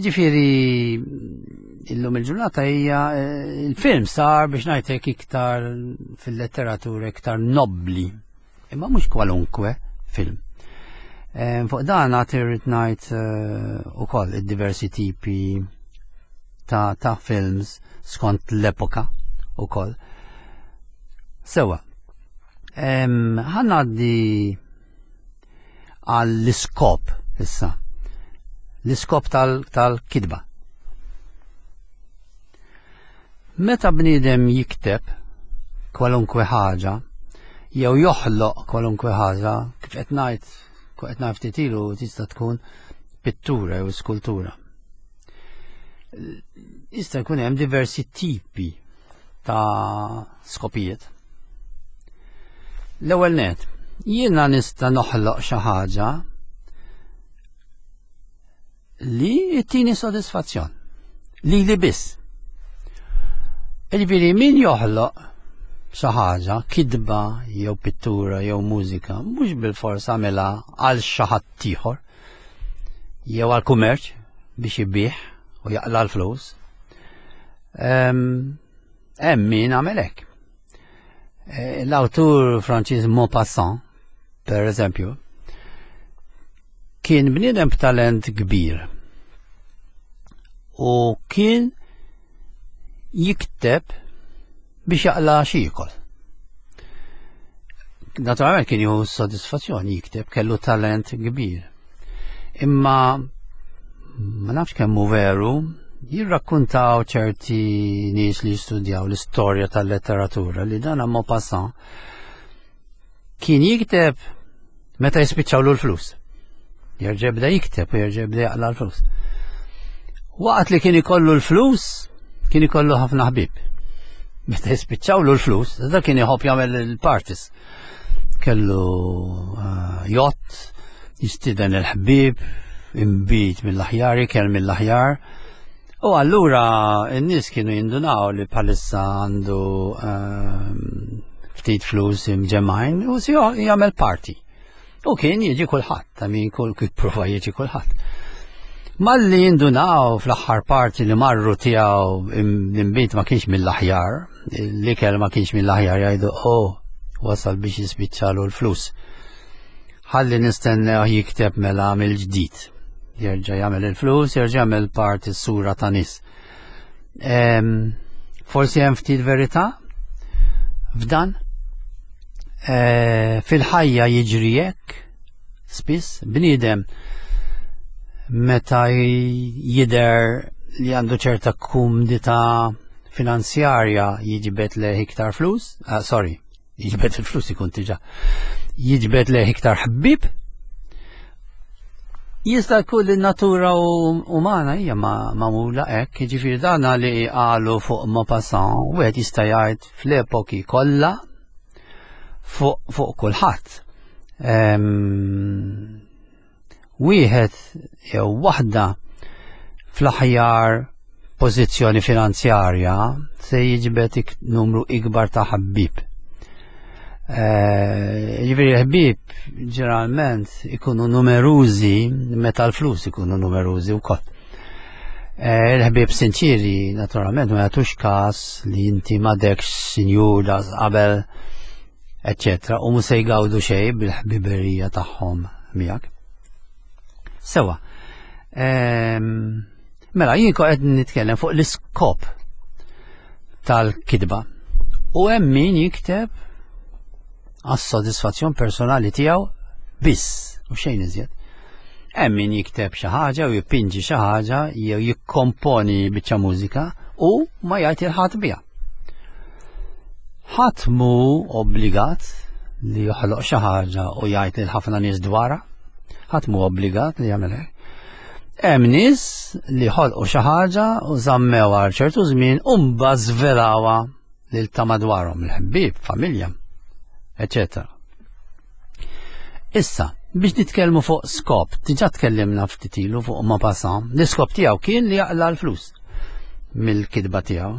[SPEAKER 2] Ġifieri illum il-ġurnata hija eh, il-film sar biex ngħidlek iktar fil-letteratura iktar nobbli, imma mhux kwalunkwe film. Eh, fuq dan għad irrid ngħid ukoll id-diversi tipi ta', ta films skont l-epoka ukoll. Sewa, ħa ngħaddi għall-iskop issa. L-iskop tal-kitba. Meta bniedem jikteb kwalunkwe ħaġa, jew joħloq kwalunkwe ħaġa, kif qed ngħid, qed ngħid ftit ilu tista' tkun pittura jew skultura. Jista' jkun hemm diversi tipi ta' skopijiet. L-ewwel net, jiena nista' noħloq xi ħaġa li ttini sodisfazzjon, li li biss. Jiġifieri min joħloq xi ħaġa, kitba jew pittura jew mużika, mhux bilfors għamilha għal xi ħadd ieħor jew għal kummerċ biex ibigħ u jaqla' l-flus. Hemm min għamel hekk. Eh, l-awtur Franċiż Maupassant, per eżempju, kien bniedem b'talent kbir u kien jikteb biex jaqla' x'jiekol. Naturalment kien jieħu soddisfazzjoni jikteb, kellu talent kbir. Imma ma nafx kemm hu veru, jirrakkuntaw ċerti nies li jistudjaw l-istorja tal-letteratura li dan Maupassant kien jikteb meta jispiċċawlu l-flus. Jerġa' jibda jikteb u jerġa' jibda jaqla' l-flus. Waqt li kien ikollu l-flus, kien ikollu ħafna ħbieb. Meta jispiċċawlu l-flus, da kien iħobb jagħmel il-parties. Kellu uh, yacht, jistieden il-ħbieb, imbit mill-aħjar, ikel mill-aħjar. U allura n-nies kienu jindunaw li bħalissa għandu uh, ftit flus imġemmgħin u si jagħmel party. U kien jiġi kulħadd, ta' min kull kif prova jiġi kulħadd. Malli jindunaw fl-aħħar party li marru tiegħu l-imbit ma kienx mill-aħjar, l-ikel ma kienx mill-aħjar, jgħidu, "Oh, wasal biex jispiċċalu l-flus. Ħalli nistennew jikteb mela mill-ġdid." Jerġa' jagħmel il-flus, jerġa' jagħmel party sura ta' nies. Forsi hemm ftit verità f'dan. E, fil-ħajja jiġri hekk, spiss bniedem meta jidher li għandu ċerta kumdità finanzjarja jiġbed lejh iktar flus, ah, sorry, jiġbed il-flus ikun diġà, jiġbed lejh iktar ħbieb. Jista' jkun li natura umana hija magħmula hekk, jiġifieri dana li qalu fuq Maupassant, wieħed jista' jgħid fl-epoki kollha fuq fuq kulħadd. Wieħed jew waħda fl-aħjar pożizzjoni finanzjarja se jiġbed numru ikbar ta' ħabib. Ġifieri ħbieb ġeneralment ikunu numerużi meta l-flus ikunu numerużi wkoll. Il-ħbieb sinċiri naturalment ma jagħtux każ li inti m'għadekx sinjur qabel, eccetera, u mhux se jgawdu xejn bil-ħbiberija tagħhom miegħek. Sewa. Mela, jien qed nitkellem fuq l-iskop tal-kitba. U hemm min jikteb għas-sodisfazzjon personali tiegħu biss u xejn iżjed. Hemm min jikteb xi ħaġa u jipinġi xi ħaġa jew jikkomponi biċċa mużika u ma jgħid lil ħadd biha. Ħadd mhu obbligat li joħloq xi ħaġa u jgħid lil ħafna nies dwarha. Ħadd mhu obbligat li jagħmel hekk. Hemm nies li ħolqu xi ħaġa u żammew għal ċertu żmien u mbagħad żvelawha lil ta' madwarhom, il-ħbieb, familja, eċetera. Issa, biex nitkellmu fuq skop, diġà tkellimna ftit ilu fuq Maupassant, l-iskop tiegħu kien li jaqla' l-flus mill-kitba tiegħu.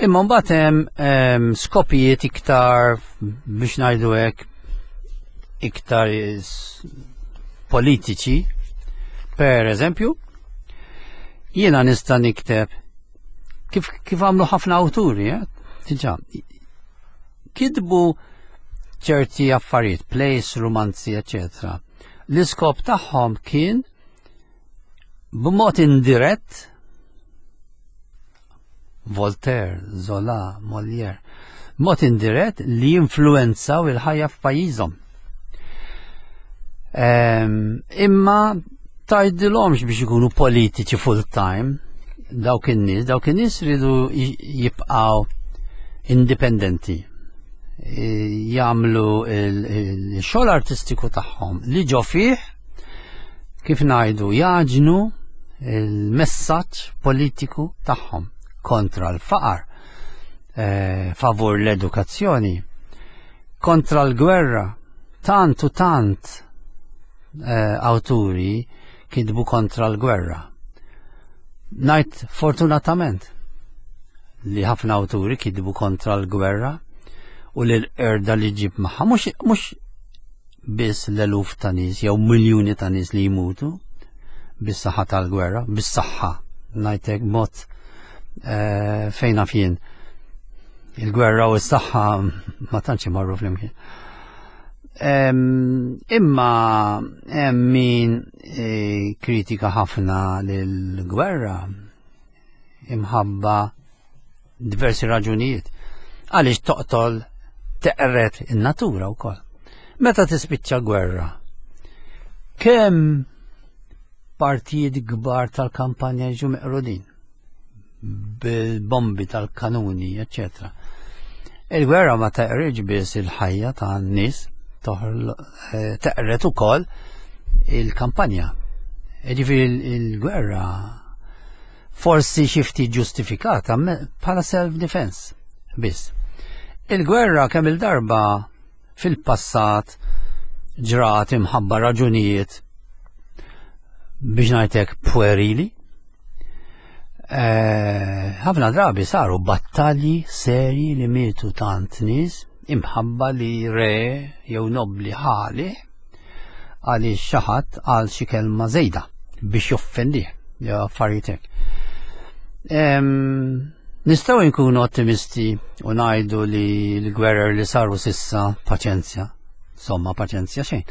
[SPEAKER 2] Imma mbagħad hemm skopijiet iktar, biex ngħidu hekk, iktar politiċi. Per eżempju, jiena nista' nikteb kif kif għamlu ħafna awturi, eh? Diġà kitbu ċerti affarijiet, plays, romanzi, eccetera. L-iskop tagħhom kien b'mod indirett, Voltaire, Zola, Molière, b'mod indirett li jinfluenzaw il-ħajja f'pajjiżhom. Imma tgħidilhomx biex ikunu politiċi full time dawk in-nies, dawk in-nies ridu jibqgħu indipendenti, jagħmlu il-xogħol artistiku tagħhom li ġo fih, kif ngħidu, jagħġnu il-messaġġ politiku tagħhom kontra l-faqar, eh, favur l-edukazzjoni, kontra l-gwerra. Tant u tant eh, awturi kitbu kontra l-gwerra. Ngħid fortunatament li ħafna awturi kitbu kontra l-gwerra u l-qerda li ġib magħha, mhux biss l-eluf ta' nies jew miljuni ta' nies li jmutu bis-saħħa tal-gwerra, bis-saħħa ngħidlek mod eh, fejn naf jien. Il-gwerra u s-saħħa ma tantx imorru flimkien. Imma hemm min eh, kritika ħafna lill-gwerra imħabba diversi raġunijiet. Għaliex toqtol, teqret in-natura wkoll. Meta tispiċċa gwerra, kemm partijiet kbar tal-kampanja jiġu meqrudin bil-bombi tal-kanuni, eċċetera. Il-gwerra ma teqridx biss il-ħajja ta' nies, eh, teqret ukoll il-kampanja. Ġifieri il-gwerra forsi xi ftit ġustifikata bħala self-defense biss. Il-gwerra kemm il-darba fil-passat ġrat imħabba raġunijiet, biex ngħidlek, puerili. Eh, ħafna drabi saru battalji serji li mietu tant nies imħabba li re jew nobli ħali għaliex xi ħadd għal xi kelma żejda biex joffendih jew affarijiet hekk. Nistgħu nkunu ottimisti u ngħidu li l-gwerer li saru s'issa, paċenzja, somma paċenzja xejn.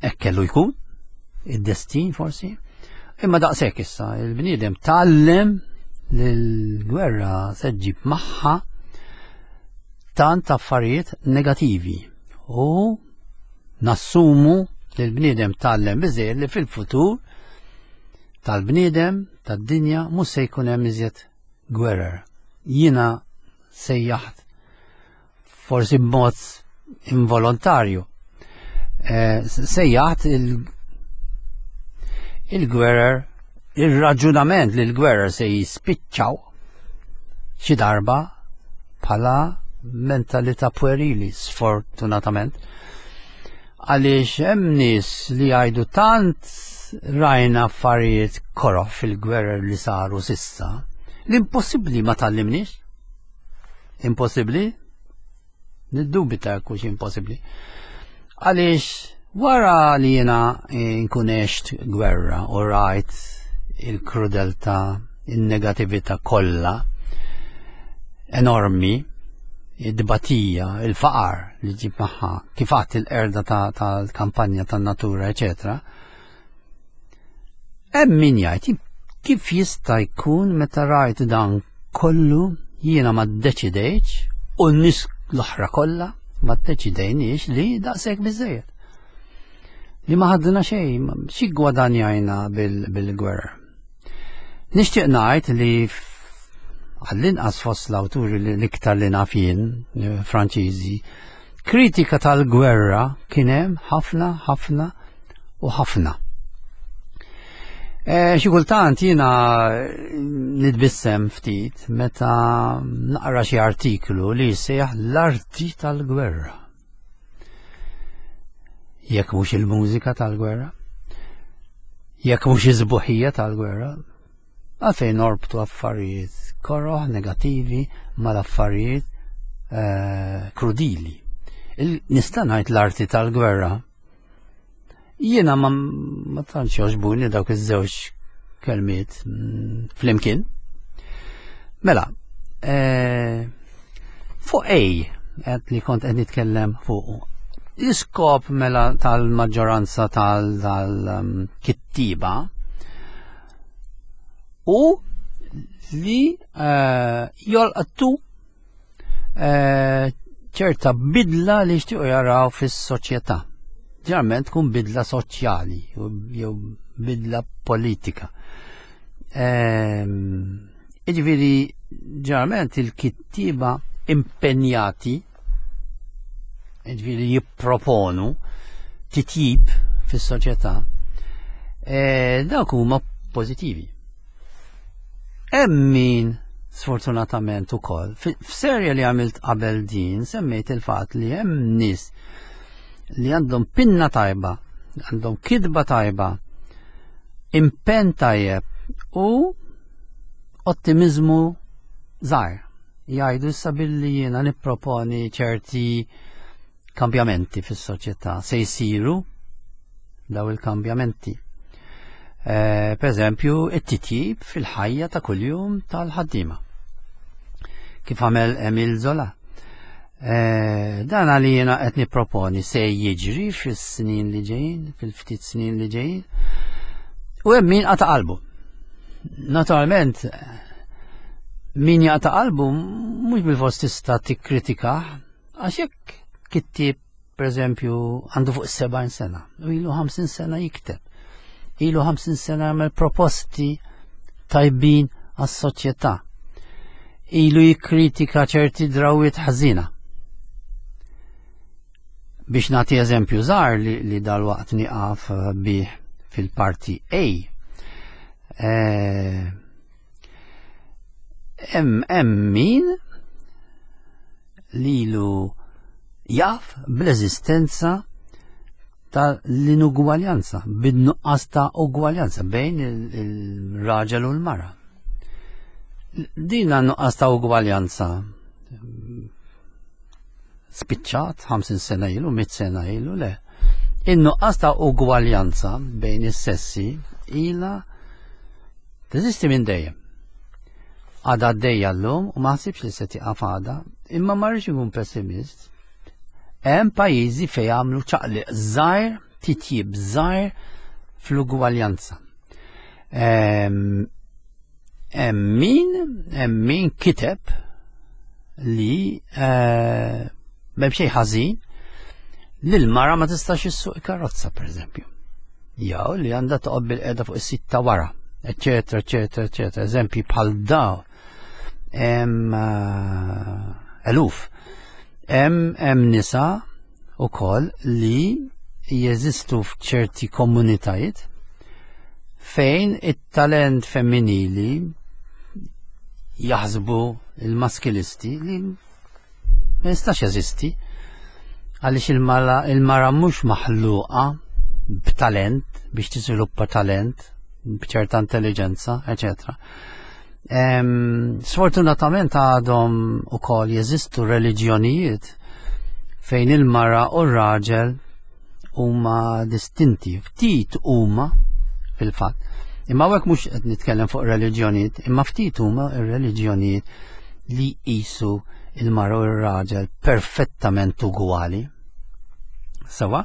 [SPEAKER 2] Hekk kellu jkun, id-destin forsi. Imma daqshekk issa, il-bniedem tgħallem li l-gwerra se ġġib magħha tant affarijiet negativi u nassumu li l-bniedem tgħallem biżejjed li fil-futur tal-bniedem tad-dinja mhux se jkun hemm iżjed gwerer. Jiena sejjaħt, forsi b'mod involontarju, eh, sejjaħt il-gwerer, il-raġunament li l-gwerer se jispiċċaw xi darba bħala mentalità puerili, sfortunatament. Għaliex hemm nies li jgħidu tant rajna affarijiet koroh fil-gwerer li saru s'issa, l-impossibbli ma tgħallimniex. Impossibbli? Niddubita kux impossibbli. Għaliex wara li jiena nkun għext gwerra u rajt il-krudeltà, il-negatività kollha enormi, id-batija, il-faqar li ġib magħha, kif għadt il-qerda tal-kampanja tan-natura, eċetera. Hemm min jgħid, kif jista' jkun meta rajt dan kollu jiena ma ddeċidejtx u n-nies l-oħra kollha ma ddeċidejniex li daqshekk biżejjed? Li ma ħadna xejn, xi gwadanjajna bil-gwerra? Nixtieq ngħid li għall-inqas fost l-awturi li l-iktar li naf jien, eh, Franċiżi, kritika tal-gwerra kien hemm ħafna, ħafna u ħafna. Eh, xi kultant jiena nitbissem ftit meta naqra xi artiklu li jsejjaħ l-arti tal-gwerra. Jekk mhux il-mużika tal-gwerra, jekk mhux iż-sbuħija tal-gwerra, għalfejn norbtu affarijiet koroh negativi mal-affarijiet eh, krudili? Nista' ngħid l-arti tal-gwerra. Jiena ma, ma tantx jogħġbuni dawk iż-żewġ kelmiet mm, flimkien. Mela, eh, fuq ej, qed li kont qed nitkellem fuq. L-iskop mela tal-maġġoranza tal-kittiba u li eh, jolqtu eh, ċerta bidla li jixtiequ jaraw fis-soċjetà. Ġeneralment tkun bidla soċjali jew bidla politika. Ehm, Jiġifieri ġeneralment il-kittiba impenjati, jiġifieri jipproponu titjib fis-soċjetà, e, dawk huma pożittivi. Hemm min sfortunatament ukoll, f'serja li għamilt qabel din semmejt il-fatt li hemm nies li għandhom pinna tajba, għandhom kitba tajba, Impenn tajjeb u ottimizmu żgħir. Jgħidu issa billi jiena nipproponi ċerti kambjamenti fis-soċjetà se jsiru daw il-kambjamenti. Eh, per eżempju, it-titjib fil-ħajja ta' kuljum tal-ħaddiema. Kif għamel Emil Zola. Eh, dan għalli jiena qed nipproponi se jiġri fis-snin li ġejjin, fil-ftit snin li ġejjin. U hemm min qata' qalbu. Naturalment, min jaqta' qalbu mhux bil-fors tista' tikkritika għax jekk kittieb per eżempju għandu fuq sebgħin sena u ilu ħamsin sena jikteb. Ilu ħamsin sena jagħmel proposti tajbin għas-soċjetà. Ilu jikkritika ċerti drawiet ħażina. Biex nagħti eżempju żgħar li, li dal-waqt nieqaf bih fil-parti A. Eh, hemm hemm min lilu jaf bl-eżistenza tal-inugwaljanza, bin-nuqqas ta' ugwaljanza bejn il-raġel u l-mara. Din nuqqas ta' ugwaljanza spiċċat ħamsin sena ilu, mitt sena ilu, le. In-nuqqas ta' ugwaljanza bejn is-sessi ila teżisti minn dejjem. Għadha għaddejja llum u ma ħsibx li se tieqaf għada, imma ma rridx inkun pessimist. Hemm pajjiżi fejn għamlu ċaqliq żgħir, titjib żgħir fl-ugwaljanza. Hemm min hemm min kiteb li eh, m'hemm xejn ħażin li l-mara ma tistax issuq karozza pereżempju. Jew li għandha toqgħod bil-qiegħda fuq is-sit ta' wara, eċetera, eċetera, eċetera. Eżempji bħal daw hemm eh, eluf. Hemm hemm nisa ukoll li jeżistu f'ċerti komunitajiet fejn it-talent femminili jaħsbu il-maskilisti li ma jistax jeżisti għaliex il-mara il-mara mhux maħluqa b'talent biex tiżviluppa talent b'ċerta intelligenza, eċetera. Sfortunatament għadhom ukoll jeżistu reliġjonijiet fejn il-mara u r-raġel huma distinti, ftit huma fil-fatt. Imma hawnhekk mhux qed nitkellem fuq reliġjonijiet, imma ftit huma ir-reliġjonijiet li jqisu il-mara u r-raġel perfettament ugwali. Sawa?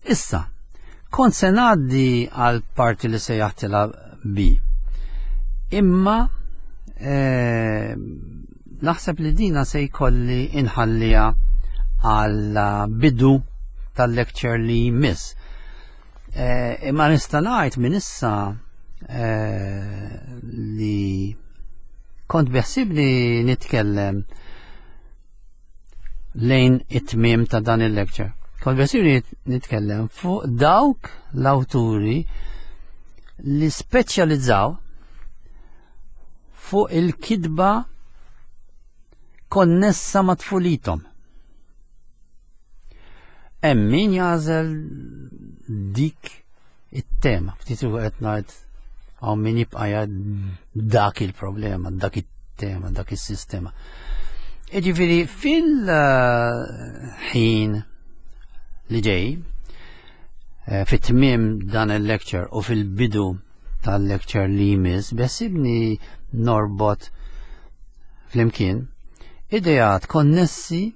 [SPEAKER 2] Issa, kont se ngħaddi għal parti li sejjaħtilha B. Imma eh, naħseb li dina se jkolli inħallija għal bidu tal-lecture li jmiss. Eh, imma nista' ngħid minn issa eh, li kont beħsibni nitkellem lejn it-tmiem ta' dan il-lecture. Kont beħsibni nitkellem fuq dawk l-awturi li speċjalizzaw fuq il-kidba konnessa ma' tfulithom. Hemm min jagħżel dik it-tema. Ftit qed ngħid hawn min jibqa' dak il-problema, dak it-tema, dak is-sistema. Jiġifieri fil-ħin li ġej, eh, fit-tmiem dan il-lecture u fil-bidu tal-lecture li jmiss, beħsibni norbot flimkien ideat konnessi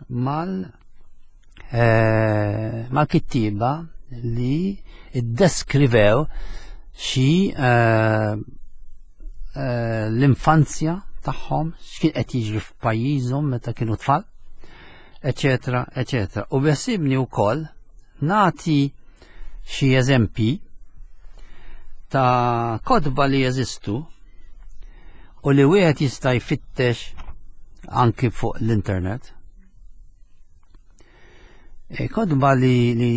[SPEAKER 2] mal eh, mal-kittiba li iddeskrivew xi eh, eh, l-infanzja tagħhom, x'kien qed jiġri f'pajjiżhom meta kienu tfal, eċetera, eċetera. U beħsibni wkoll nagħti xi eżempji ta' kotba li jeżistu u li wieħed jista' jfittex anki fuq l-internet. E, kotba li, li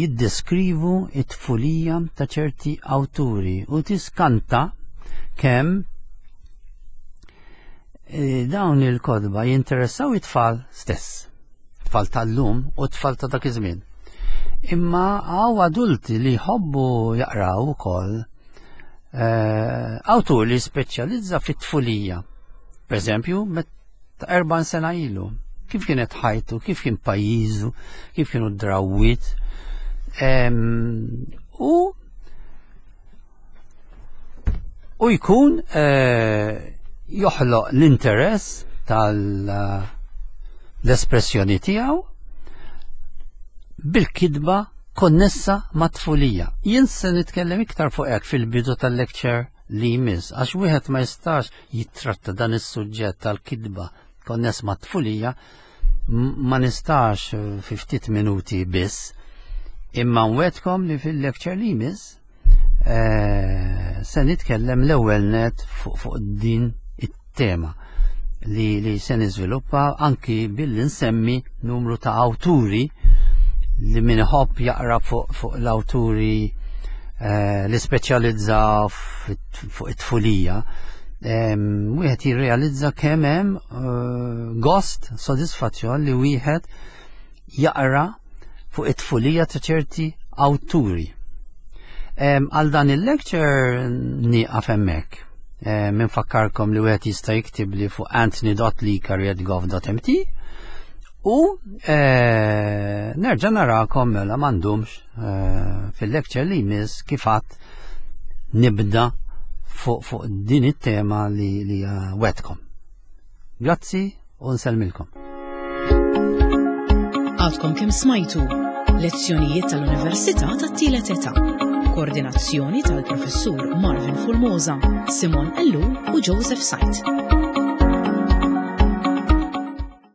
[SPEAKER 2] jiddeskrivu it-tfulija ta' ċerti awturi u tiskanta kemm e, dawn il-kotba jinteressaw it-tfal stess, tfal tal-lum u tfal ta' dak iż-żmien. Imma hawn adulti li jħobbu jaqraw ukoll eh, awtur li speċjalizza fit-tfulija. Per eżempju, ta' erba' sena ilu. Kif kienet ħajtu, kif kien pajjiżu, kif kienu d-drawwiet. U u jkun eh, joħloq l-interess tal-espressjoni tiegħu bil-kidba konnessa ma' tfulija. Jien se nitkellem iktar fuq hekk fil-bidu tal-lecture li jmiss, għax wieħed ma jistax jittratta dan is-suġġett tal-kidba konness ma' tfulija, ma nistax fi ftit minuti biss, imma nwedkom li fil-lecture li jmiss eh, se nitkellem l-ewwel net fuq fuq din it-tema li, li se niżviluppa anki billi nsemmi numru ta' awturi li min iħobb jaqra fuq fuq l-awturi eh, li speċjalizza fuq it-tfulija. Wieħed jirrealizza kemm hemm eh, gost, sodisfazzjon li wieħed jaqra fuq it-tfulija ta' ċerti awturi. Għal dan il-lecture nieqaf hemmhekk. Minfakkarkom li wieħed jista' jiktib li fuq anthony dot licari at gov dot M T u eh, nerġa' narakom mela m'għandhomx eh, fil-lecture li jmiss kif għad nibda fuq fuq din it-tema li li wetkom. Grazzi u nsellmilkom.
[SPEAKER 1] Għadkom kemm smajtu lezzjonijiet tal-Università tat-Tielet Età. Koordinazzjoni tal-Professur Marvin Formosa, Simon Ellul u Joseph Said.